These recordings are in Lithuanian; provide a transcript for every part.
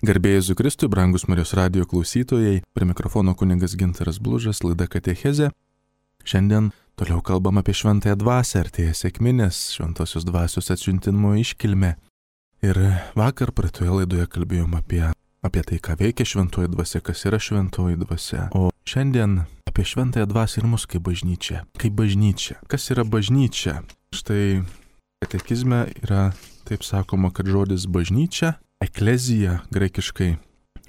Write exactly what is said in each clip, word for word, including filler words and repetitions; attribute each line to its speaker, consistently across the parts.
Speaker 1: Garbė Jėzui Kristui, brangus Marijos radijo klausytojai, prie mikrofono kunigas Gintaras Blužas, laida Katechezė. Šiandien toliau kalbam apie šventąją dvasią, artėja sekminės, šventosios dvasios atsiuntimo iškilmė. Ir vakar praeitoje laidoje kalbėjom apie, apie tai, ką veikia šventoji dvasia, kas yra šventoji dvasia. O šiandien apie šventąją dvasią ir mus kaip bažnyčia. Kaip bažnyčia. Kas yra bažnyčia? Štai katekizme yra taip sakoma, kad žodis bažnyčia, eklezija graikiškai,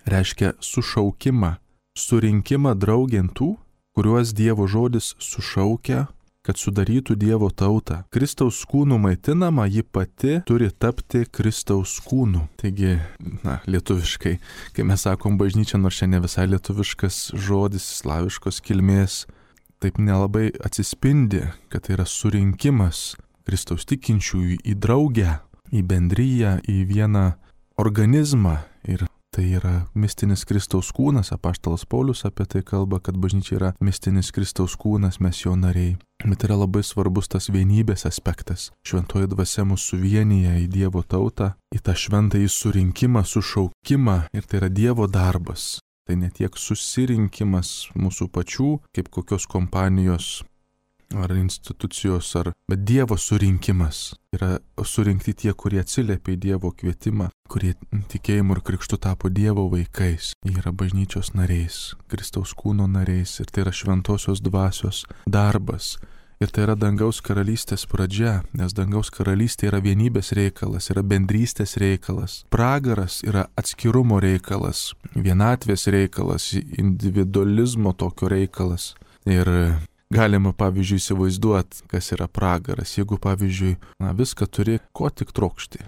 Speaker 1: reiškia sušaukimą, surinkimą draugentų, kuriuos Dievo žodis sušaukia, kad sudarytų Dievo tautą. Kristaus kūnų maitinama, ji pati turi tapti Kristaus kūnų. Taigi, na, lietuviškai, kai mes sakom bažnyčia, nors čia ne visai lietuviškas žodis, slaviškos kilmės, taip nelabai atsispindi, kad tai yra surinkimas Kristaus tikinčiųjų į draugę, į bendryją, į vieną organizmą. Ir tai yra mistinis Kristaus kūnas. Apaštalas Paulius apie tai kalba, kad bažnyčia yra mistinis Kristaus kūnas, mes jo nariai. Bet yra labai svarbus tas vienybės aspektas. Šventoji dvasia mus suvienyje į Dievo tautą, į tą šventąjį surinkimą, sušaukimą. Ir tai yra Dievo darbas. Tai ne tiek susirinkimas mūsų pačių, kaip kokios kompanijos ar institucijos, ar, bet Dievo surinkimas. Yra surinkti tie, kurie atsiliepia į Dievo kvietimą, kurie tikėjimu ir krikštu tapo Dievo vaikais. Jie yra bažnyčios nariais, Kristaus kūno nariais, ir tai yra šventosios dvasios darbas. Ir tai yra dangaus karalystės pradžia, nes dangaus karalystė yra vienybės reikalas, yra bendrystės reikalas. Pragaras yra atskirumo reikalas, vienatvės reikalas, individualizmo tokio reikalas. Ir galima, pavyzdžiui, įsivaizduoti, kas yra pragaras. Jeigu, pavyzdžiui, na, viską turi, ko tik trokšti,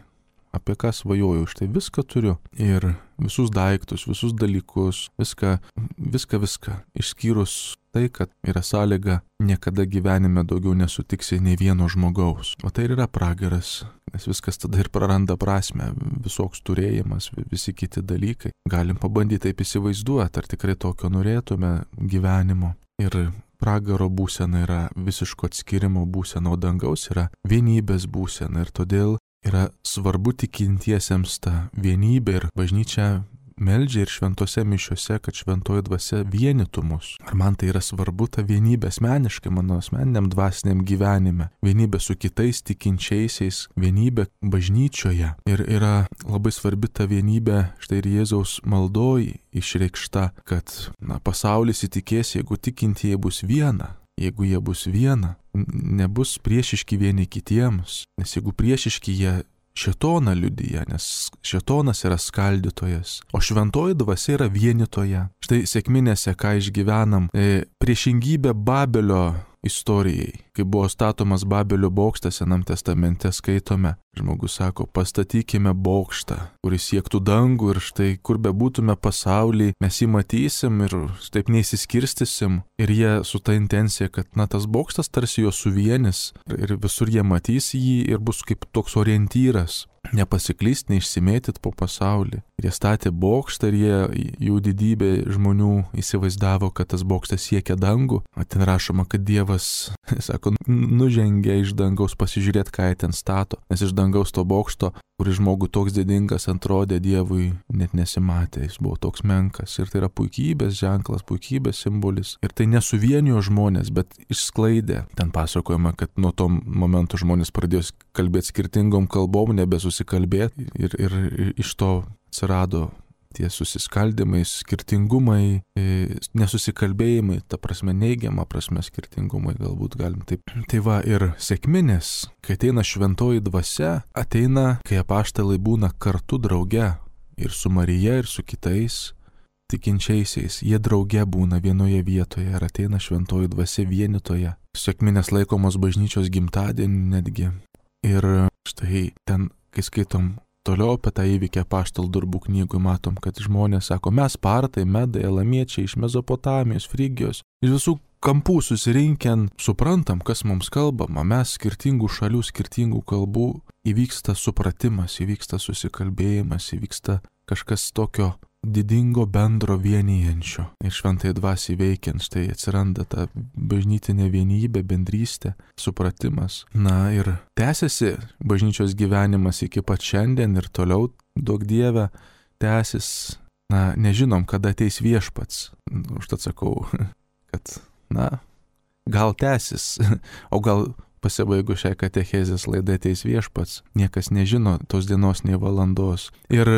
Speaker 1: apie ką svajoju, štai viską turiu. Ir visus daiktus, visus dalykus, viską, viską, viską. Išskyrus tai, kad yra sąlyga, niekada gyvenime daugiau nesutiksi nei vieno žmogaus. O tai ir yra pragaras, nes viskas tada ir praranda prasmę, visoks turėjimas, visi kiti dalykai. Galim pabandyti taip įsivaizduoti, ar tikrai tokio norėtume gyvenimo. Ir pragaro būsena yra visiško atskirimo būsena, o dangaus yra vienybės būsena. Ir todėl yra svarbu tikintiesiems ta vienybė, ir bažnyčia meldžia ir šventose mišiose, kad šventoji dvasia vienytų mus. Ar man tai yra svarbu, ta vienybė asmeniškai, mano asmeniniam dvasiniam gyvenime, vienybė su kitais tikinčiaisiais, vienybė bažnyčioje. Ir yra labai svarbi ta vienybė, štai ir Jėzaus maldoj išreikšta, kad na, pasaulis įtikės, jeigu tikintieji bus viena. Jeigu jie bus viena, nebus priešiški vieni kitiems, nes jeigu priešiški, jie šėtoną liudija, nes šėtonas yra skaldytojas, o šventoji dvasia yra vienytoja. Štai sekminėse, ką išgyvenam, e, priešingybė Babelio istorijai. Kai buvo statomas Babelio bokštas, Senam testamente skaitome, žmogus sako, pastatykime bokštą, kuris siektų dangų, ir štai kur bebūtume pasaulyje, mes jį matysim ir taip neįsiskirstysim. Ir jie su ta intencija, kad na, tas bokštas tarsi jo suvienis, ir visur jie matys jį ir bus kaip toks orientyras. Nepasiklyst, neišsimėtyt po pasaulį. Ir jie statė bokštą, ir jie, jų didybė žmonių įsivaizdavo, kad tas bokštas siekia dangų. O ten rašoma, kad Dievas, sako, nužengė iš dangaus pasižiūrėti, ką jie ten stato. Nes iš dangaus to bokšto, kuris žmogų toks didingas atrodė, Dievui net nesimatė, jis buvo toks menkas. Ir tai yra puikybės ženklas, puikybės simbolis. Ir tai nesuvienijo žmonės, bet išsklaidė. Ten pasakojama, kad nuo to momento žmonės pradėjo kalbėti skirtingom kalbom, nebesusikalbėti. Ir, ir, ir iš to atsirado tie susiskaldimai, skirtingumai, nesusikalbėjimai, ta prasme neigiama prasme skirtingumai, galbūt galim taip. Tai va, ir sekminės, kai ateina šventoji dvasia, ateina, kai apaštalai būna kartu drauge, ir su Marija, ir su kitais tikinčiaisiais. Jie drauge būna vienoje vietoje, ir ateina šventoji dvasia vienytoje. Sekminės laikomos bažnyčios gimtadienį netgi. Ir štai ten, kai skaitom toliau apie tą įvykį apaštalų darbų knygui, matom, kad žmonės sako, mes partai, medai, elamiečiai iš Mezopotamijos, Frygijos, iš visų kampų susirinkę, suprantam, kas mums kalbama, mes skirtingų šalių, skirtingų kalbų, įvyksta supratimas, įvyksta susikalbėjimas, įvyksta kažkas tokio didingo bendro vienijančio. Ir šventai dvasiai veikiant, štai atsiranda ta bažnytinė vienybė, bendrystė, supratimas. Na ir tęsiasi bažnyčios gyvenimas iki pat šiandien ir toliau, duok Dieve, tęsis, na, nežinom, kada ateis viešpats. Užtat sakau, kad, na, gal tęsis, o gal pasibaigus šiai katechezės laidai ateis viešpats. Niekas nežino tos dienos nei valandos. Ir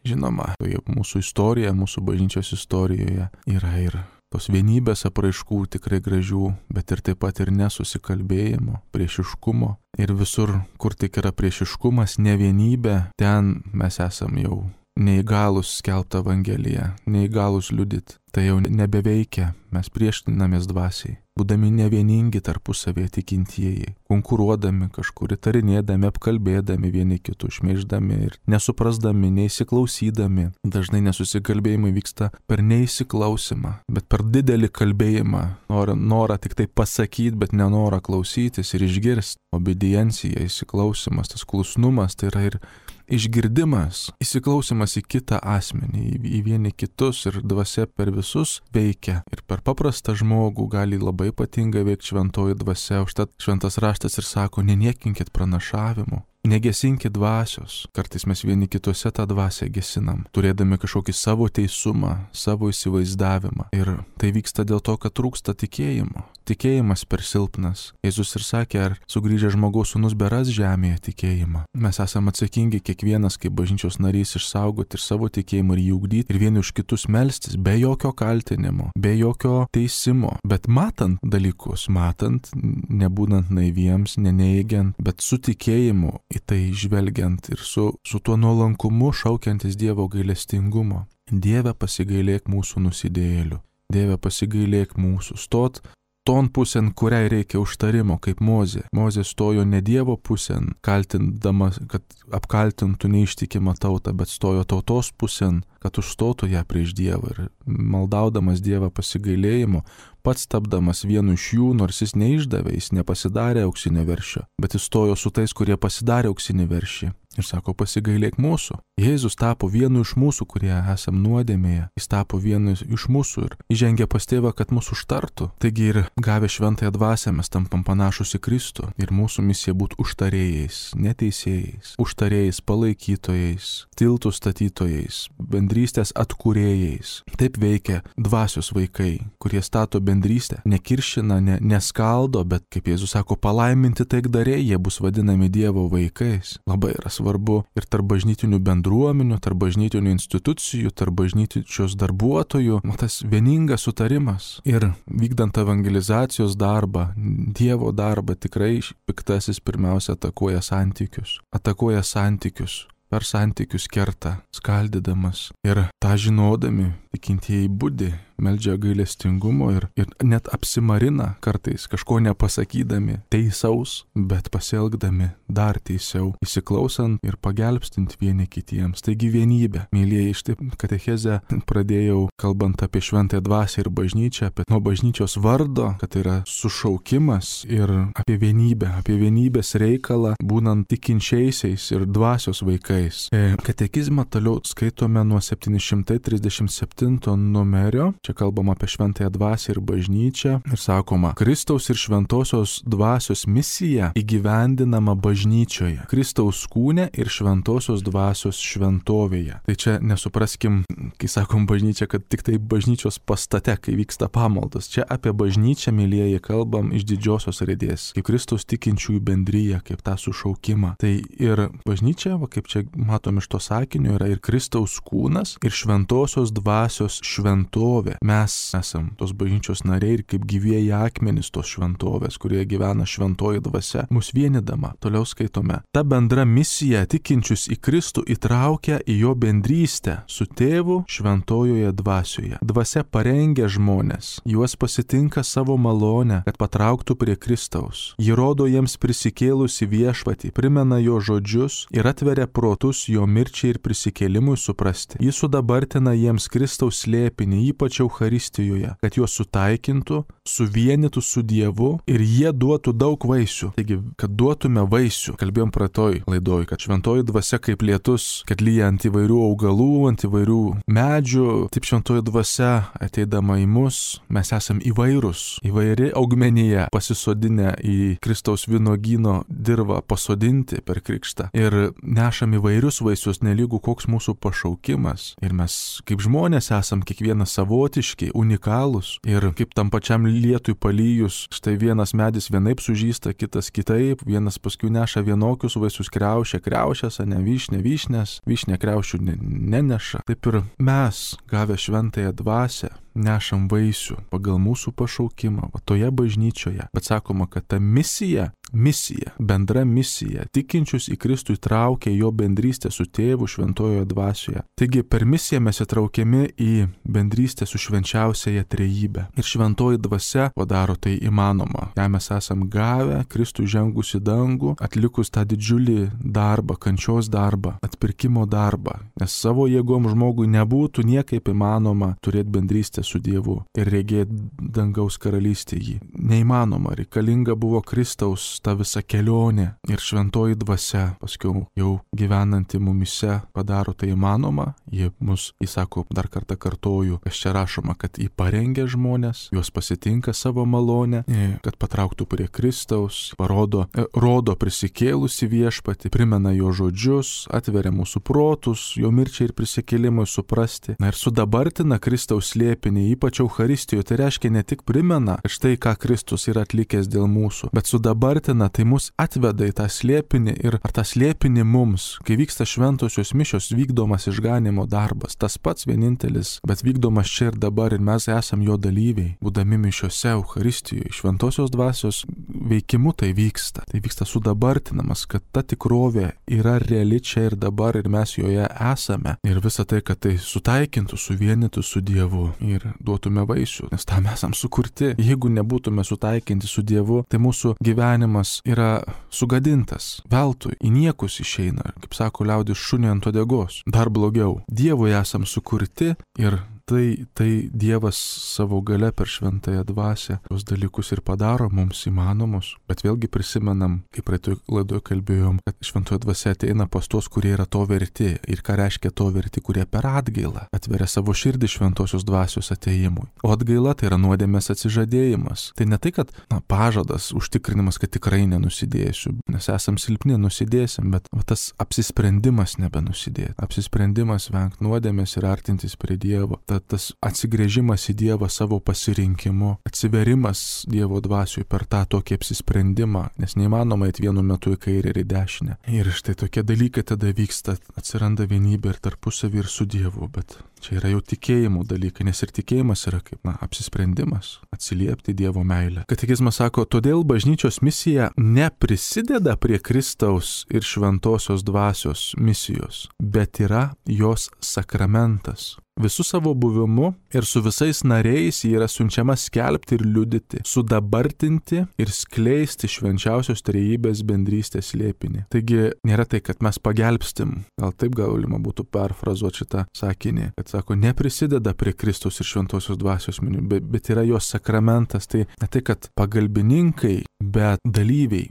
Speaker 1: žinoma, mūsų istorija, mūsų bažnyčios istorijoje yra ir tos vienybės apraiškų tikrai gražių, bet ir taip pat ir nesusikalbėjimo, priešiškumo. Ir visur, kur tik yra priešiškumas, nevienybė, ten mes esam jau neįgalus skelbti Evangeliją, neįgalus liudyti. Tai jau nebeveikia, mes priešinamės dvasiai, būdami nevieningi tarpusavėje tikintieji, konkuruodami kažkur, įtarinėdami, apkalbėdami vieni kitų, šmeiždami ir nesuprasdami, neįsiklausydami. Dažnai nesusikalbėjimai vyksta per neįsiklausimą, bet per didelį kalbėjimą, norą, norą tik tai pasakyti, bet nenorą klausytis ir išgirsti. Obediencija, įsiklausimas, tas klusnumas, tai yra ir išgirdimas, įsiklausimas į kitą asmenį, į, į vieni kitus, ir dvasia per visus veikia. Ir per paprastą žmogų gali labai ypatingai veikti šventoji dvasia. Užtat šventas raštas ir sako, neniekinkit pranašavimu. Negesinkit dvasios. Kartais mes vieni kituose tą dvasią gesinam, turėdami kažkokį savo teisumą, savo įsivaizdavimą. Ir tai vyksta dėl to, kad trūksta tikėjimo. Tikėjimas per silpnas. Jėzus ir sakė, ar sugrįžę žmogaus sūnus beras žemėje tikėjimą. Mes esame atsakingi kiekvienas kaip bažnyčios narys išsaugoti ir savo tikėjimą ir jį ugdyti ir vieni už kitus melstis, be jokio kaltinimo, be jokio teisimo. Bet matant dalykus, matant, nebūnant naiviems, neneigiant, bet su tikėjimu į tai žvelgiant ir su, su tuo nuolankumu šaukiantis Dievo gailestingumo. Dieve, pasigailėk mūsų nusidėjėlių. Dieve, pasigailėk mūsų. Stot ton pusėn, kuriai reikia užtarimo, kaip Mozė. Mozė stojo ne Dievo pusėn, kaltindamas, kad apkaltintų neištikimą tautą, bet stojo tautos pusėn, kad užstotų ją prieš Dievą. Ir maldaudamas Dievą pasigailėjimo, pats tapdamas vienu iš jų, nors jis neišdavė, jis nepasidarė auksinio veršio, bet jis stojo su tais, kurie pasidarė auksinį veršį. Ir sako, pasigailėk mūsų. Jėzus tapo vienu iš mūsų, kurie esam nuodėmėje. Jis tapo vienu iš mūsų ir įžengė pas tėvą, kad mūsų užtartų. Taigi ir gavę šventąją dvasią mes tampam panašus į Kristų. Ir mūsų misija būti užtarėjais, neteisėjais, užtarėjais, palaikytojais, tiltų statytojais, bendrystės atkūrėjais. Taip veikia dvasios vaikai, kurie stato bendrystę, nekiršina, ne, neskaldo, bet, kaip Jėzus sako, palaiminti taikdariai, jie bus vadinami Dievo vaikais. Labai yra svarbu ir tarp bažnytinių bendruomenių, tarp bažnytinių institucijų, tarp bažnyčios darbuotojų, tas vieningas sutarimas. Ir vykdant evangelizacijos darbą, Dievo darbą, tikrai piktasis pirmiausia atakuoja santykius. Atakuoja santykius. Per santykius kerta, skaldydamas. Ir tą žinodami, tikintieji budi, meldžia gailestingumo ir, ir net apsimarina kartais, kažko nepasakydami teisaus, bet pasielgdami dar teisiau, įsiklausant ir pagelbstint vieni kitiems. Taigi vienybė. Mėlyjeji, štai katechezę pradėjau kalbant apie šventąją dvasią ir bažnyčią, apie nuo bažnyčios vardo, kad tai yra sušaukimas, ir apie vienybę, apie vienybės reikalą, būnant tikinčiaisiais ir dvasios vaikais. E, katekizmą toliau skaitome nuo septyni šimtai trisdešimt septinto numerio. Čia kalbama apie šventąją dvasią ir bažnyčią ir sakoma, Kristaus ir šventosios dvasios misija įgyvendinama bažnyčioje, Kristaus kūne ir šventosios dvasios šventovėje. Tai čia nesupraskim, kai sakom bažnyčia, kad tik tai bažnyčios pastate, kai vyksta pamaldos. Čia apie bažnyčią, mylėjai, kalbam iš didžiosios raidės, kaip Kristaus tikinčiųjų bendryje, kaip tą sušaukimą. Tai ir bažnyčia, va, kaip čia matom iš to sakinio, yra ir Kristaus kūnas ir šventosios dvasios šventovė. Mes esam tos bažnyčios nariai ir kaip gyvieji akmenys tos šventovės, kurie gyvena šventoji dvasia, mus vienydama. Toliau skaitome. Ta bendra misija tikinčius į Kristų įtraukia į jo bendrystę su tėvu šventojoje dvasioje. Dvasia parengia žmonės, juos pasitinka savo malonę, kad patrauktų prie Kristaus. Ji rodo jiems prisikėlusi viešpatį, primena jo žodžius ir atveria protus jo mirčiai ir prisikėlimui suprasti. Ji sudabartina jiems Kristaus slėpinį, ypač Eucharistijoje, kad juos sutaikintų, suvienytų su Dievu ir jie duotų daug vaisių. Taigi, kad duotume vaisių, kalbėjom praeitoj laidoj, kad šventoji dvasia kaip lietus, kad lyja ant įvairių augalų, ant įvairių medžių, taip šventoji dvasia ateidama į mus, mes esam įvairūs, įvairi augmenija, pasisodinę į Kristaus vynuogyno dirvą pasodinti per krikštą ir nešam įvairius vaisius, nelygų koks mūsų pašaukimas. Ir mes kaip žmonės esam kiekvienas savotiški, unikalūs ir kaip tam pačiam lietui palyjus, štai vienas medis vienaip sužysta, kitas kitaip, vienas paskui neša vienokius vaisius, kriaušė kriaušės, ne vyšnė vyšnės, vyšnė kriaušių ne, neneša. Taip ir mes, gavę šventąją dvasią, nešam vaisių pagal mūsų pašaukimą, va toje bažnyčioje. Bet sakoma, kad ta misija, misija, bendra misija, tikinčius į Kristų įtraukia jo bendrystę su tėvu šventojoje dvasioje. Taigi per misiją mes įtraukiami į bendrystę su švenčiausiaja trejybe. Ir šventoji dvasia padaro tai įmanoma. Ją mes esam gavę, Kristų žengus į dangų, atlikus tą didžiulį darbą, kančios darbą, atpirkimo darbą. Nes savo jėgom žmogui nebūtų niekaip įmanoma turėti bendrystę su Dievu ir regėti dangaus karalystę jį. Neįmanoma, reikalinga buvo Kristaus ta visa kelionė ir šventoji dvasia, paskiau jau gyvenanti mumise, padaro tai įmanoma. Jie mus, jis sako, dar kartą kartoju, kas čia rašoma, kad jį parengia žmonės, juos pasitinka savo malonę, kad patrauktų prie Kristaus, parodo, rodo prisikėlusi viešpatį, primena jo žodžius, atveria mūsų protus, jo mirčiai ir prisikėlimui suprasti. Na ir sudabartina Kristaus slėpinį, ypač Eucharistijoje, tai reiškia ne tik primena, kad štai ką Kristus yra atlikęs dėl mūsų, bet sudabartina, tai mus atveda į tą slėpinį ir ar tą slėpinį mums, kai vyksta šventosios mišios, vykdomas išganimo darbas, tas pats vienintelis, bet vykdomas čia ir dabar ir mes esam jo dalyviai, būdami mišiose Eucharistijoje, šventosios dvasios veikimu tai vyksta, tai vyksta sudabartinamas, kad ta tikrovė yra reali čia ir dabar ir mes joje esame ir visa tai, kad tai sutaikintų, suvienytų su Dievu ir duotume vaisių, nes tam esam sukurti. Jeigu nebūtume sutaikinti su Dievu, tai mūsų gyvenimas yra sugadintas, veltui, į niekus išeina, kaip sako liaudis, šunį ant uodegos. Dar blogiau, Dievui esam sukurti ir Tai, tai Dievas savo gale per šventąją dvasią tos dalykus ir padaro mums įmanomus. Bet vėlgi prisimenam, kaip praeitoj laidoje kalbėjom, kad šventoji dvasia ateina pas tos, kurie yra to verti. Ir ką reiškia to verti, kurie per atgailą atveria savo širdį šventosios dvasios atėjimui. O atgaila tai yra nuodėmės atsižadėjimas. Tai ne tai, kad na, pažadas, užtikrinimas, kad tikrai nenusidėsiu, nes esam silpni, nusidėsim, bet va, tas apsisprendimas nebenusidėti. Apsisprendimas vengti nuodėmės ir artintis prie Dievo. Tas atsigrėžimas į Dievą savo pasirinkimu, atsiverimas Dievo dvasiui per tą tokį apsisprendimą, nes neįmanoma eiti vienu metu į kairę ir į dešinę. Ir štai tokie dalykai tada vyksta, atsiranda vienybė ir tarpusavį ir su Dievu, bet čia yra jau tikėjimų dalykai, nes ir tikėjimas yra kaip, na, apsisprendimas, atsiliepti Dievo meilę. Katekizmas sako, todėl bažnyčios misija neprisideda prie Kristaus ir šventosios dvasios misijos, bet yra jos sakramentas. Visų savo buvimu ir su visais nariais jį yra siunčiama skelbti ir liudyti, sudabartinti ir skleisti švenčiausios trejybės bendrystės slėpinį. Taigi nėra tai, kad mes pagelbstim, gal taip galima būtų perfrazuoti šitą sakinį, kad sako, neprisideda prie Kristaus ir šventosios dvasios minių, bet, bet yra jos sakramentas. Tai ne tai, kad pagalbininkai, bet dalyviai.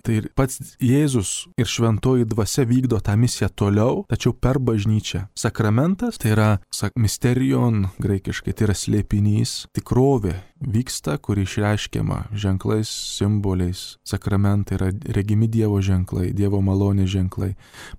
Speaker 1: Tai ir pats Jėzus ir šventoji dvasia vykdo tą misiją toliau, tačiau per bažnyčią. Sakramentas tai yra misterion, graikiškai, tai yra slėpinys, tikrovė vyksta, kuri išreiškiama ženklais, simboliais. Sakramentai yra regimi Dievo ženklai, Dievo malonės ženklai.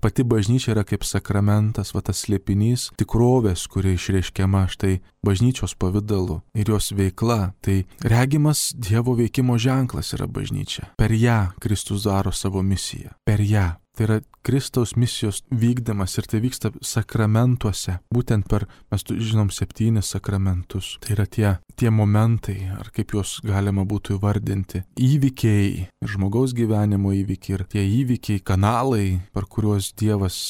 Speaker 1: Pati bažnyčia yra kaip sakramentas, va tas slėpinys, tikrovės, kuri išreiškiama štai bažnyčios pavidalu ir jos veikla. Tai regimas Dievo veikimo ženklas yra bažnyčia. Per ją Kristus daro savo misiją. Per ją. Tai yra Kristaus misijos vykdymas ir tai vyksta sakramentuose. Būtent per, mes žinom, septynis sakramentus. Tai yra tie, tie momentai, ar kaip juos galima būtų įvardinti. Įvykiai, žmogaus gyvenimo įvykiai ir tie įvykiai, kanalai, per kuriuos Dievas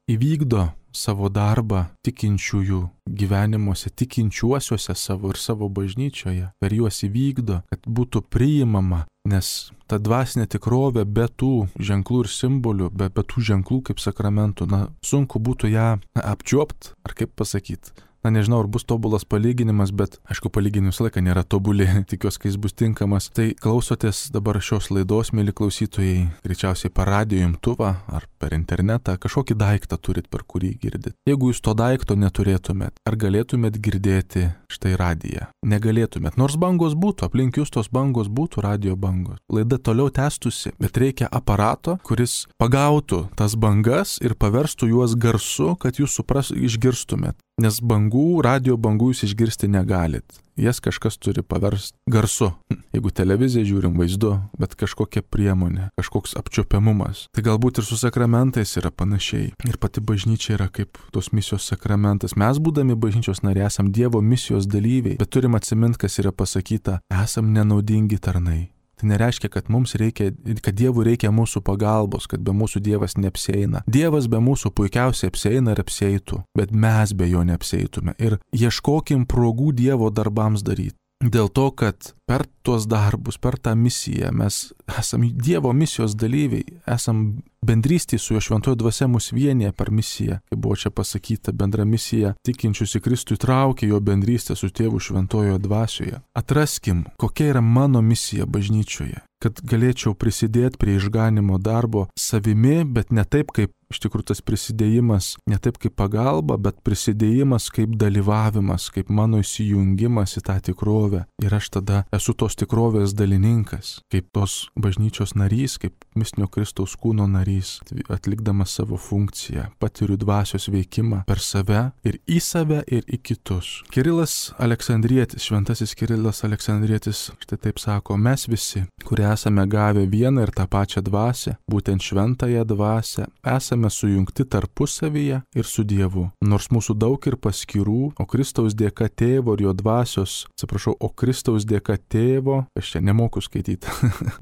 Speaker 1: įvykdo savo darbą tikinčiųjų gyvenimuose, tikinčiuosiuose savo ir savo bažnyčioje. Per juos įvykdo, kad būtų priimama, nes ta dvasinė tikrovė be tų ženklų ir simbolių, be, be tų ženklų kaip sakramentų, na, sunku būtų ją apčiuopt, ar kaip pasakyti, na nežinau, ar bus tobulas palyginimas, bet aišku, palyginimas visą laiką nėra tobuli, tikiuosi, kai jis bus tinkamas. Tai klausotės dabar šios laidos, mėly klausytojai, greičiausiai per radijo imtuvą ar per internetą, kažkokį daiktą turit, per kurį girdit. Jeigu jūs to daikto neturėtumėt, ar galėtumėt girdėti štai radiją? Negalėtumėt, nors bangos būtų, aplink jūs tos bangos būtų, radio bangos. Laida toliau tęstusi, bet reikia aparato, kuris pagautų tas bangas ir paverstų juos garsu, kad jūs supras, išgirstumėt. Nes bangų, radio bangų jūs išgirsti negalit. Jas kažkas turi paversti garsu. Jeigu televiziją žiūrim vaizdu, bet kažkokia priemonė, kažkoks apčiuopiamumas. Tai galbūt ir su sakramentais yra panašiai. Ir pati bažnyčia yra kaip tos misijos sakramentas. Mes, būdami bažnyčios nariai, esam Dievo misijos dalyviai, bet turim atsiminti, kas yra pasakyta, esam nenaudingi tarnai. Tai nereiškia, kad mums reikia, kad Dievui reikia mūsų pagalbos, kad be mūsų Dievas neapsieina. Dievas be mūsų puikiausiai apsieina ir apsieitų, bet mes be jo neapsieitume. Ir ieškokim progų Dievo darbams daryti. Dėl to, kad per tuos darbus, per tą misiją mes esam Dievo misijos dalyviai, esam bendrystėje su jo šventojo dvasia mus vienyje per misiją. Kaip buvo čia pasakyta, bendra misija tikinčius į Kristų įtraukia jo bendrystę su tėvu šventojo dvasioje. Atraskim, kokia yra mano misija bažnyčioje, kad galėčiau prisidėti prie išganimo darbo savimi, bet ne taip kaip iš tikrųjų tas prisidėjimas, ne taip kaip pagalba, bet prisidėjimas kaip dalyvavimas, kaip mano įsijungimas į tą tikrovę. Ir aš tada esu tos tikrovės dalininkas, kaip tos bažnyčios narys, kaip mistinio Kristaus kūno narys, atlikdamas savo funkciją, patiriu dvasios veikimą per save ir į save ir į kitus. Kirilas Aleksandrietis, šventasis Kirilas Aleksandrietis, štai taip sako, mes visi, kurie esame gavę vieną ir tą pačią dvasią, būtent šventąją dvasią, esame sujungti tarpusavyje ir su Dievu. Nors mūsų daug ir paskirų, o Kristaus dėka tėvo ir jo dvasios, atsiprašau, o Kristaus dėka tėvo, aš čia nemoku skaityti,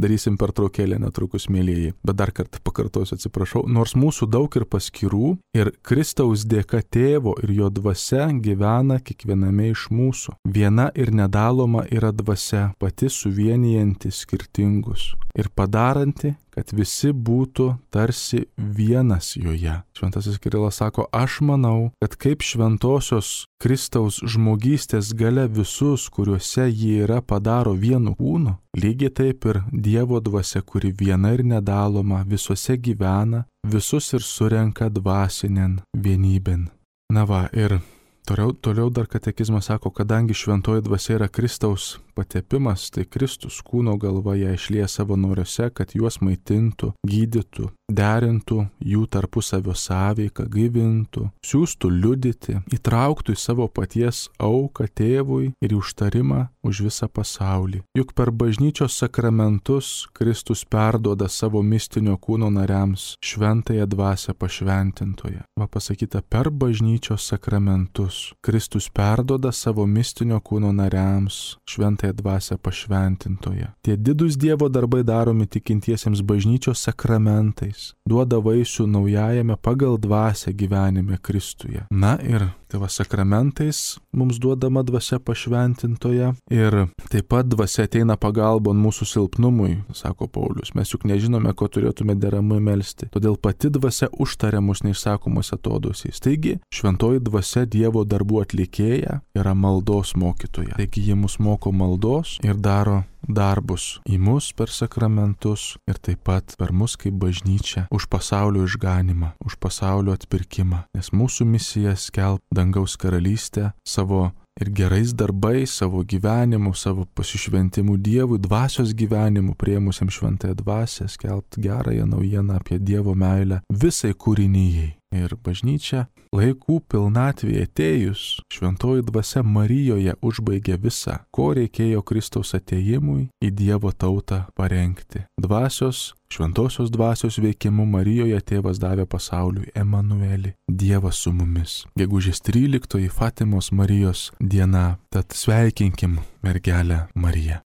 Speaker 1: darysim pertraukėlę netrukus, mėlyjeji, bet dar kartą pakartosiu, atsiprašau, nors mūsų daug ir paskirų ir Kristaus dėka tėvo ir jo dvasia gyvena kiekviename iš mūsų. Viena ir nedaloma yra dvasia, pati suvienijanti skirtingus ir padaranti, kad visi būtų tarsi vienas joje. Šventasis Kirilas sako, aš manau, kad kaip šventosios Kristaus žmogystės galia visus, kuriuose ji yra, padaro vienu kūnu, lygiai taip ir Dievo dvasia, kuri viena ir nedaloma, visuose gyvena, visus ir surenka dvasinėn vienybėn. Na va, ir Toliau, toliau dar katekizmas sako, kadangi šventoji dvasia yra Kristaus patepimas, tai Kristus kūno galva ją išlieja savo noriuose, kad juos maitintų, gydytų, derintų jų tarpusavio sąveiką, gaivintų, siųstų liudyti, įtrauktų į savo paties auką tėvui ir į užtarimą už visą pasaulį. Juk per bažnyčios sakramentus Kristus perduoda savo mistinio kūno nariams šventąją dvasią pašventintoje. Va pasakyta, per bažnyčios sakramentus Kristus perduoda savo mistinio kūno nariams šventąją dvasią pašventintoje. Tie didūs Dievo darbai daromi tikintiesiems bažnyčios sakramentais, duoda vaisių naujajame pagal dvasią gyvenime Kristuje. Na ir tai va sakramentais mums duodama dvasia pašventintoje ir taip pat dvasia ateina pagalbon mūsų silpnumui, sako Paulius. Mes juk nežinome, ko turėtume deramai melsti. Todėl pati dvasia užtaria mus neišsakomos atodosiais. Taigi, šventoji dvasia Dievo darbų atlikėja yra maldos mokytoja. Taigi, ji mus moko maldos ir daro darbus į mus per sakramentus ir taip pat per mus kaip bažnyčia už pasaulio išganimą, už pasaulio atpirkimą. Nes mūsų misija skelbti dangaus karalystę savo ir gerais darbais, savo gyvenimu, savo pasišventimu Dievui, dvasios gyvenimu, priėmusiam šventąją dvasią, skelbti gerąją naujieną apie Dievo meilę visai kūrinijai. Ir bažnyčia laikų pilnatvėje atėjus, šventoji dvasia Marijoje užbaigė visą, ko reikėjo Kristaus atėjimui į Dievo tautą parengti. Dvasios, šventosios dvasios veikimu Marijoje tėvas davė pasauliui Emanuelį, Dievas su mumis. Gegužės tryliktoji Fatimos Marijos diena, tad sveikinkim mergelę Mariją.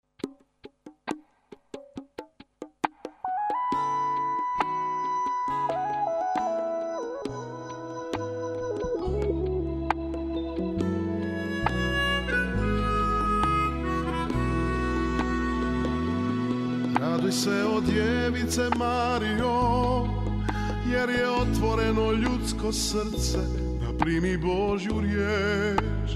Speaker 2: Raduj se o djevice Marijo, jer je otvoreno ljudsko srce da primi Božju riječ,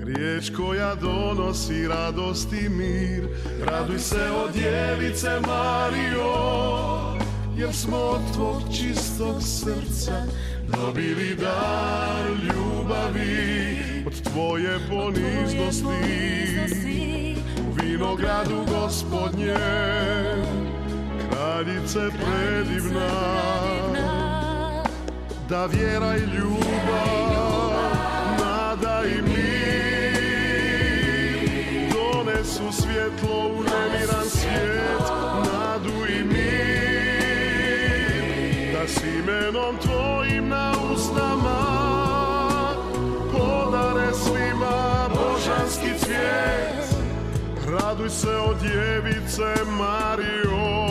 Speaker 2: riječ koja donosi radost i mir. Raduj se, o djevice Marijo, jer smo od tvog čistog srca dobili dar ljubavi. Od tvoje poniznosti u vinogradu Gospodnje, kraljice predivna, da vjera i ljubav, nada i mir donesu svjetlo u nemiran svijet, nadu i mir, da s imenom tvojim na usnama podare svima božanski cvijet. Raduj se, o djevice Marijo.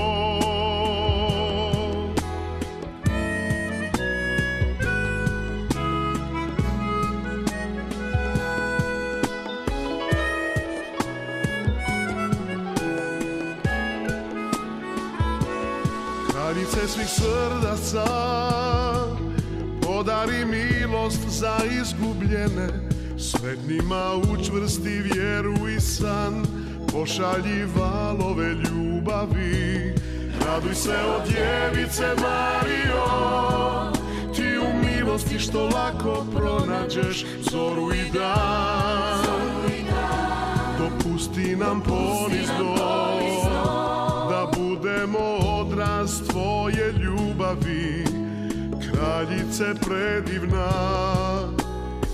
Speaker 2: Kraljice svih srdaca, podari milost za izgubljene, sretnima učvrsti vjeru i san, pošalji valove ljubavi. Raduj se, o djevice Marijo, ti u milosti što lako pronađeš zoru i dan. Dopusti nam ponizno da budemo odraz tvoje ljubavi, kraljice predivna,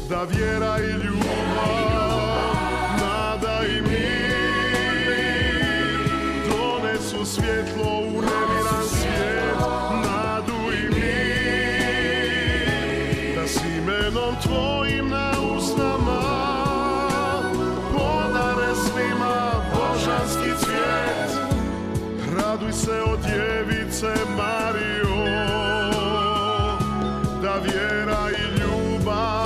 Speaker 2: da vjera i ljubav, nada i mir donesu svjetlo u nemiran svijet, nadu i mir, da s imenom tvojim na usnama podare svima božanski cvijet. Raduj se, o djevice Marijo, da vjera i ljubav,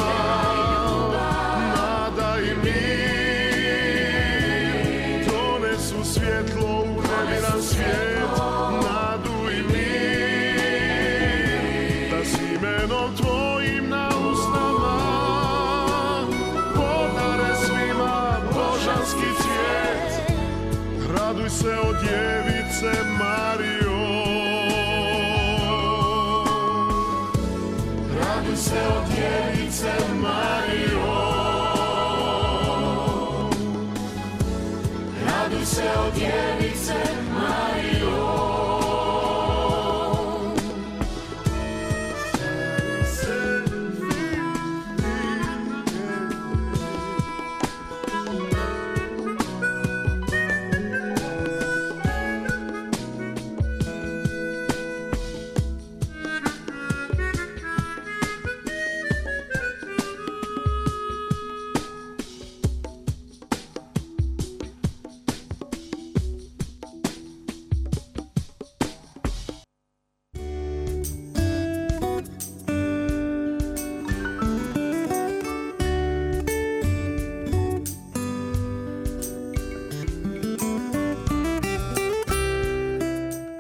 Speaker 2: nada i mir donesu svjetlo u nemiran svijet, nadu i mir, da s imenom tvojim na usnama podare svima božanski cvijet. Raduj se, o djevice Marijo. Raduj se, o djevice Marijo. Raduj se, o djevice Marijo.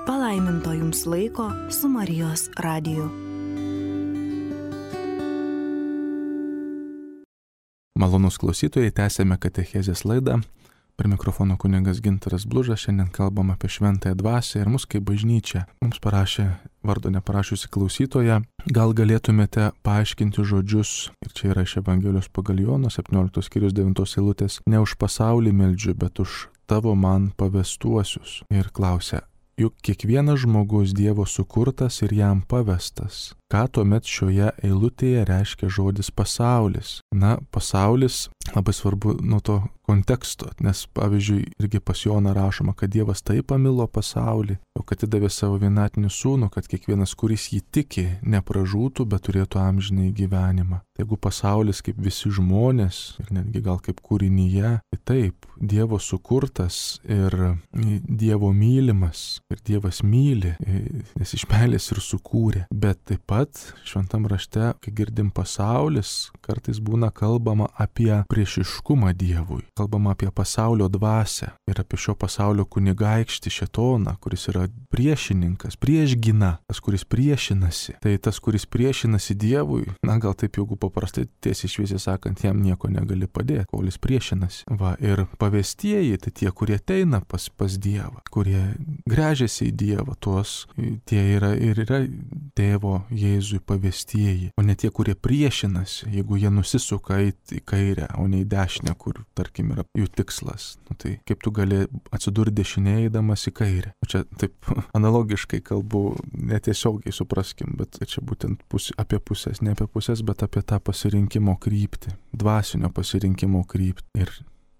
Speaker 3: Palaiminto jums laiko su Marijos radiju.
Speaker 1: Malonūs klausytojai, tęsėme katechezės laidą. Prie mikrofono kunigas Gintaras Blužas. Šiandien kalbam apie šventąją dvasią ir mus kaip bažnyčią. Mums parašė vardo neparašiusi klausytoja. Gal galėtumėte paaiškinti žodžius, ir čia yra iš Evangelijos pagal Joną, septynioliktos skyrius devintos eilutės, ne už pasaulį meldžiu, bet už tavo man pavestuosius. Ir klausia, juk kiekvienas žmogus Dievo sukurtas ir jam pavestas. Ką tuomet šioje eilutėje reiškia žodis pasaulis? Na, pasaulis labai svarbu nuo to konteksto, nes pavyzdžiui irgi pas Joną rašoma, kad Dievas taip pamilo pasaulį, o kad atidavė savo vienatinį sūnų, kad kiekvienas, kuris jį tiki, nepražūtų, bet turėtų amžinąjį gyvenimą. Tai jeigu pasaulis kaip visi žmonės ir netgi gal kaip kūrinyje, tai taip, Dievo sukurtas ir Dievo mylimas ir Dievas myli, nes iš meilės ir sukūrė, bet taip pat pat šventam rašte, kai girdim pasaulis, kartais būna kalbama apie priešiškumą Dievui, kalbama apie pasaulio dvasią ir apie šio pasaulio kunigaikštį šėtoną, kuris yra priešininkas, priešgina, tas, kuris priešinasi. Tai tas, kuris priešinasi Dievui, na gal taip jeigu paprastai tiesiai šviesiai sakant, jam nieko negali padėti, kol jis priešinasi. Va, ir pavestieji, tai tie, kurie ateina pas, pas Dievą, kurie gręžiasi į Dievą, tuos tie yra ir yra tėvo Jėzui pavestieji, o ne tie, kurie priešinasi, jeigu jie nusisuka į kairę, o ne į dešinę, kur, tarkim, yra jų tikslas. Nu, tai kaip tu gali atsidurti dešinėje eidamas į kairę? Čia taip analogiškai kalbu, netiesiogiai supraskim, bet čia būtent pusė, apie pusės, ne apie pusės, bet apie tą pasirinkimo kryptį, dvasinio pasirinkimo kryptį. Ir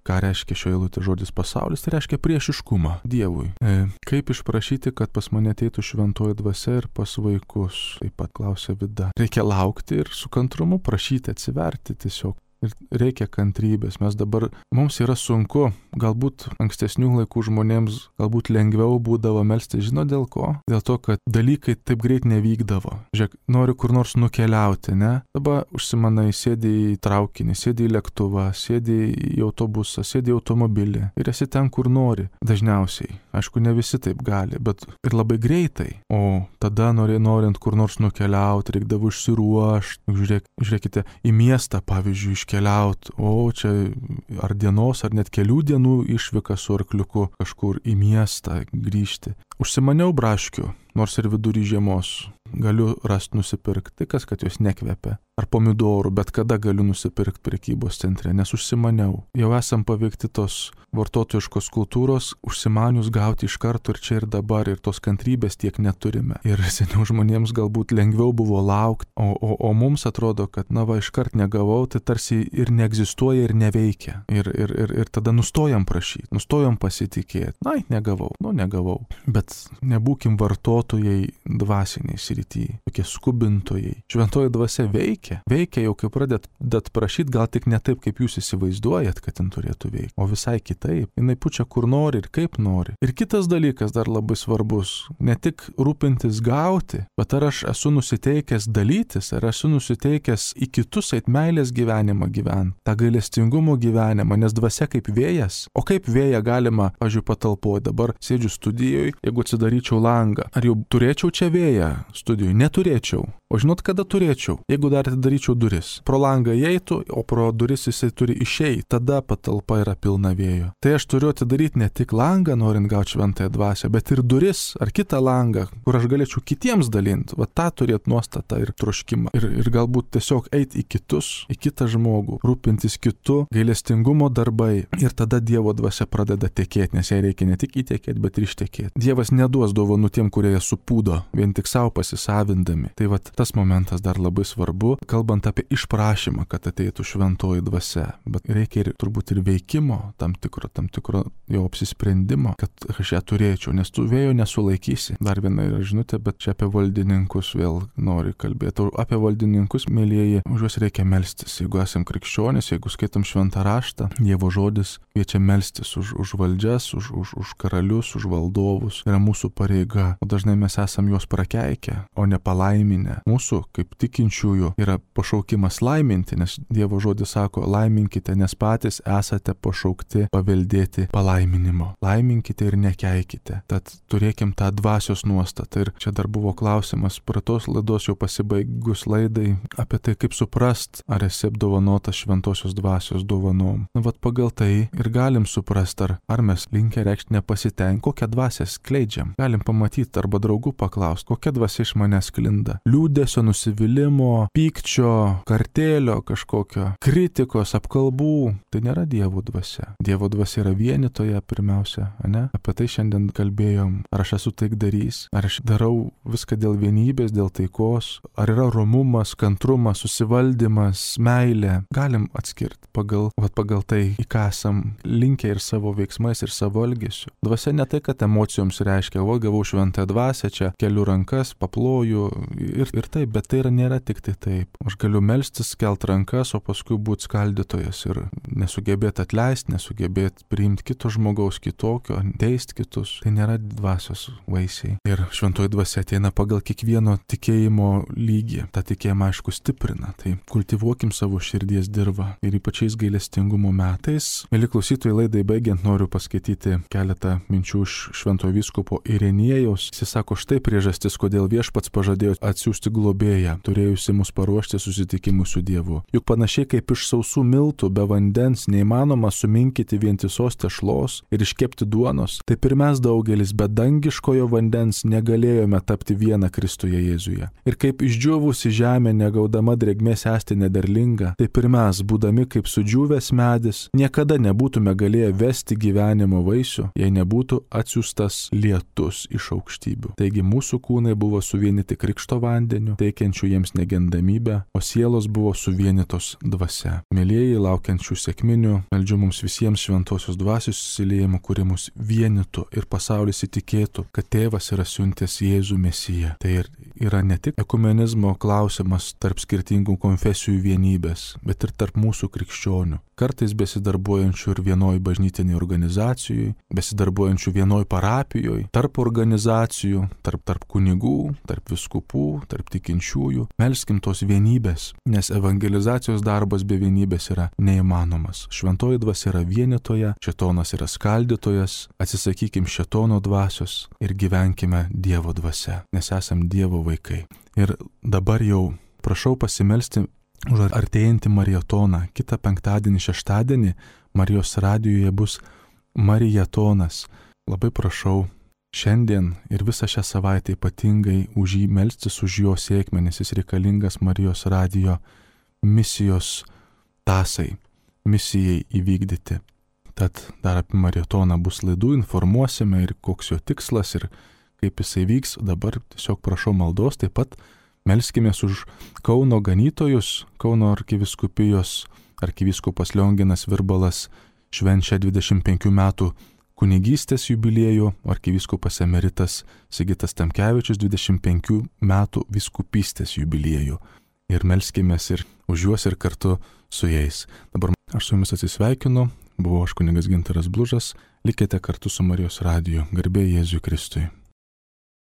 Speaker 1: ką reiškia šio eilutė žodis pasaulis? Tai reiškia priešiškumą Dievui. E, kaip išprašyti, kad pas mane ateitų šventoji dvasia ir pas vaikus? Taip pat klausia Vida. Reikia laukti ir su kantrumu prašyti, atsiverti tiesiog. Ir reikia kantrybės. Mes dabar, mums yra sunku, galbūt ankstesnių laikų žmonėms galbūt lengviau būdavo melsti. Žino dėl ko? Dėl to, kad dalykai taip greit nevykdavo. Žiūrėk, nori kur nors nukeliauti, ne? Dabar užsimanai, sėdi į traukinį, sėdi į lėktuvą, sėdi į autobusą, sėdi į automobilį ir esi ten, kur nori. Dažniausiai. Aišku, ne visi taip gali, bet ir labai greitai. O tada nori, norint kur nors nukeliauti, reikdavo išsiruošti. Žiūrėk, žiūrėkite, į miestą, pavyzdžiui, iš keliauti, o čia ar dienos, ar net kelių dienų išvyka su arkliuku kažkur į miestą grįžti. Užsimaniau braškių, nors ir vidury žiemos galiu rasti nusipirkti, kas kad jos nekvepia. Ar pomidorų, bet kada galiu nusipirkti prekybos centre, nes užsimaniau. Jau esam paveikti tos vartotojiškos kultūros, užsimanius gauti iš karto ir čia ir dabar, ir tos kantrybės tiek neturime. Ir seniau žmonėms galbūt lengviau buvo laukti, o, o, o mums atrodo, kad na va, iškart negavau, tai tarsi ir neegzistuoja ir neveikia. Ir, ir, ir, ir tada nustojam prašyti, nustojam pasitikėti. Na, negavau, nu negavau. Bet nebūkim vartotojai dvasiniai srityje, tokie skubintojai. Šventoji dvasia veikia. Veikia jau, kai pradedat prašyti, gal tik ne taip, kaip jūs įsivaizduojat, kad jin turėtų veikti, o visai kitaip. Jinai pučia kur nori ir kaip nori. Ir kitas dalykas dar labai svarbus, ne tik rūpintis gauti, bet ar aš esu nusiteikęs dalytis, ar esu nusiteikęs į kitus eit meilės gyvenimą gyventi, tą gailestingumo gyvenimą, nes dvasia kaip vėjas. O kaip vėją galima, pavyzdžiui, patalpoje, dabar sėdžiu studijoje, jeigu atsidaryčiau langą, ar jau turėčiau čia vėją studijoje? Neturėčiau. O žinot, kada turėčiau? Jeigu dar atidaryčiau duris. Pro langą įeitų, o pro duris jisai turi išeiti. Tada patalpa yra pilna vėjo. Tai aš turiu atidaryti ne tik langą, norint gauti šventąją dvasią, bet ir duris ar kitą langą, kur aš galėčiau kitiems dalinti. Va tą turėti nuostatą ir troškimą. Ir, ir galbūt tiesiog eiti į kitus, į kitą žmogų, rūpintis kitu, gailestingumo darbai. Ir tada Dievo dvasia pradeda tekėti, nes jai reikia ne tik įtekėti, bet ir ištekėti. Dievas neduos dovanų tiem, kurie jas supūdo, vien tik savo pasisavindami. Tai va tas momentas dar labai svarbu, kalbant apie išprašymą, kad ateitų šventoji dvasia. Bet reikia ir turbūt ir veikimo, tam tikro, tam tikro jau apsisprendimo, kad aš ją turėčiau, nes tu vėjo nesulaikysi. Dar viena yra žinutė, bet čia apie valdininkus vėl nori kalbėti. O apie valdininkus, mėlyjeji, už juos reikia melstis. Jeigu esam krikščionys, jeigu skaitom šventą raštą, Dievo žodis kviečia melstis už, už valdžias, už, už, už karalius, už valdovus. Yra mūsų pareiga. O dažnai mes esam juos prakeikę, o ne palaiminę. Mūsų, kaip tikinčiųjų, yra pašaukimas laiminti, nes Dievo žodis sako, laiminkite, nes patys esate pašaukti paveldėti palaiminimo. Laiminkite ir nekeikite. Tad turėkim tą dvasios nuostatą. Ir čia dar buvo klausimas, pratos laidos jau pasibaigus laidai, apie tai, kaip suprast, ar esi apdovanotas šventosios dvasios dovanom. Na, vat pagal tai ir galim suprast, ar, ar mes linkę reikšti nepasitenkinimą, kokią dvasią skleidžiam. Galim pamatyti arba draugų paklausti, kokia dvasia iš manęs sklinda. Liūdesio, nusivylimo, pykčio, kartėlio kažkokio, kritikos, apkalbų. Tai nėra Dievo dvasia. Dievo dvasia yra vienitoje pirmiausia, ne? Apie tai šiandien kalbėjom. Ar aš esu taikdarys? Ar aš darau viską dėl vienybės, dėl taikos? Ar yra romumas, kantrumas, susivaldymas, meilė? Galim atskirti pagal, vat pagal tai, į ką esam linkę ir savo veiksmais, ir savo elgesiu. Dvasia ne tai, kad emocijoms reiškia, o gavau šventąją dvasią dvasią, čia keliu rankas, paploju ir, ir taip, bet tai yra, nėra tik tai taip. Aš galiu melstis, kelt rankas, o paskui būti skaldytojas ir nesugebėti atleisti, nesugebėti priimti kito žmogaus kitokio, teisti kitus. Tai nėra dvasios vaisiai. Ir šventoji dvasia ateina pagal kiekvieno tikėjimo lygį. Ta tikėjimą, aišku, stiprina. Tai kultivuokim savo širdies dirvą. Ir ypačiais gailestingumo metais. Mėly klausytojai, laidai baigiant noriu paskaityti keletą minčių iš šventojo vyskupo Ireniejaus. Jis sako, štai priežastis, kodėl viešpats pažadėjo atsiųsti globėją, turėjusi mus paruošti susitikimui su Dievu. Juk panašiai kaip iš sausų miltų be vandens neįmanoma suminkyti vientisos tešlos ir iškepti duonos, taip ir mes daugelis be dangiškojo vandens negalėjome tapti vieną Kristuje Jėzuje. Ir kaip išdžiūvusi žemė negaudama drėgmės esti nederlinga, taip ir mes, būdami kaip sudžiūvęs medis, niekada nebūtume galėję vesti gyvenimo vaisių, jei nebūtų atsiųstas lietus iš aukštybių. Taigi mūsų kūnai buvo suvienyti krikšto vandeniu, teikiančių jiems negendamybę, o sielos buvo suvienytos dvasia. Mėlieji, laukiančių sekminių, meldžiu mums visiems šventosios dvasios įsiliejimų, kuri mus vienytų ir pasaulis įtikėtų, kad Tėvas yra siuntęs Jėzų Mesiją. Tai ir yra ne tik ekumenizmo klausimas tarp skirtingų konfesijų vienybės, bet ir tarp mūsų krikščionių. Kartais besidarbuojančių ir vienoj bažnytiniai organizacijai, besidarbuojančių vienoj parapijoje, tarp organizacijų, tarp, tarp kunigų, tarp viskupų, tarp tikinčiųjų. Melskim tos vienybės, nes evangelizacijos darbas be vienybės yra neįmanomas. Šventoji dvasia yra vienytoja, šėtonas yra skaldytojas, atsisakykim šėtono dvasios ir gyvenkime Dievo dvasia, nes esam Dievo vaikai. Ir dabar jau prašau pasimelsti už artėjantį marietoną. Kitą penktadienį, šeštadienį Marijos radijoje bus marietonas. Labai prašau šiandien ir visą šią savaitę ypatingai už jį melstis, už jo sėkmę, nes jis reikalingas Marijos radijo misijos tasai, misijai įvykdyti. Tad dar apie marietoną bus laidų, informuosime ir koks jo tikslas ir kaip jisai vyks. Dabar tiesiog prašau maldos, taip pat melskimės už Kauno ganytojus. Kauno arkivyskupijos arkivyskupas Lionginas Virbalas švenčia dvidešimt penkių metų kunigystės jubiliejų, arkivyskupas emeritas Sigitas Tamkevičius dvidešimt penkių metų vyskupystės jubiliejų. Ir melskimės ir už juos ir kartu su jais. Dabar aš su jumis atsisveikinu, buvau aš kunigas Gintaras Blužas, likite kartu su Marijos radiju. Garbė Jėzui Kristui.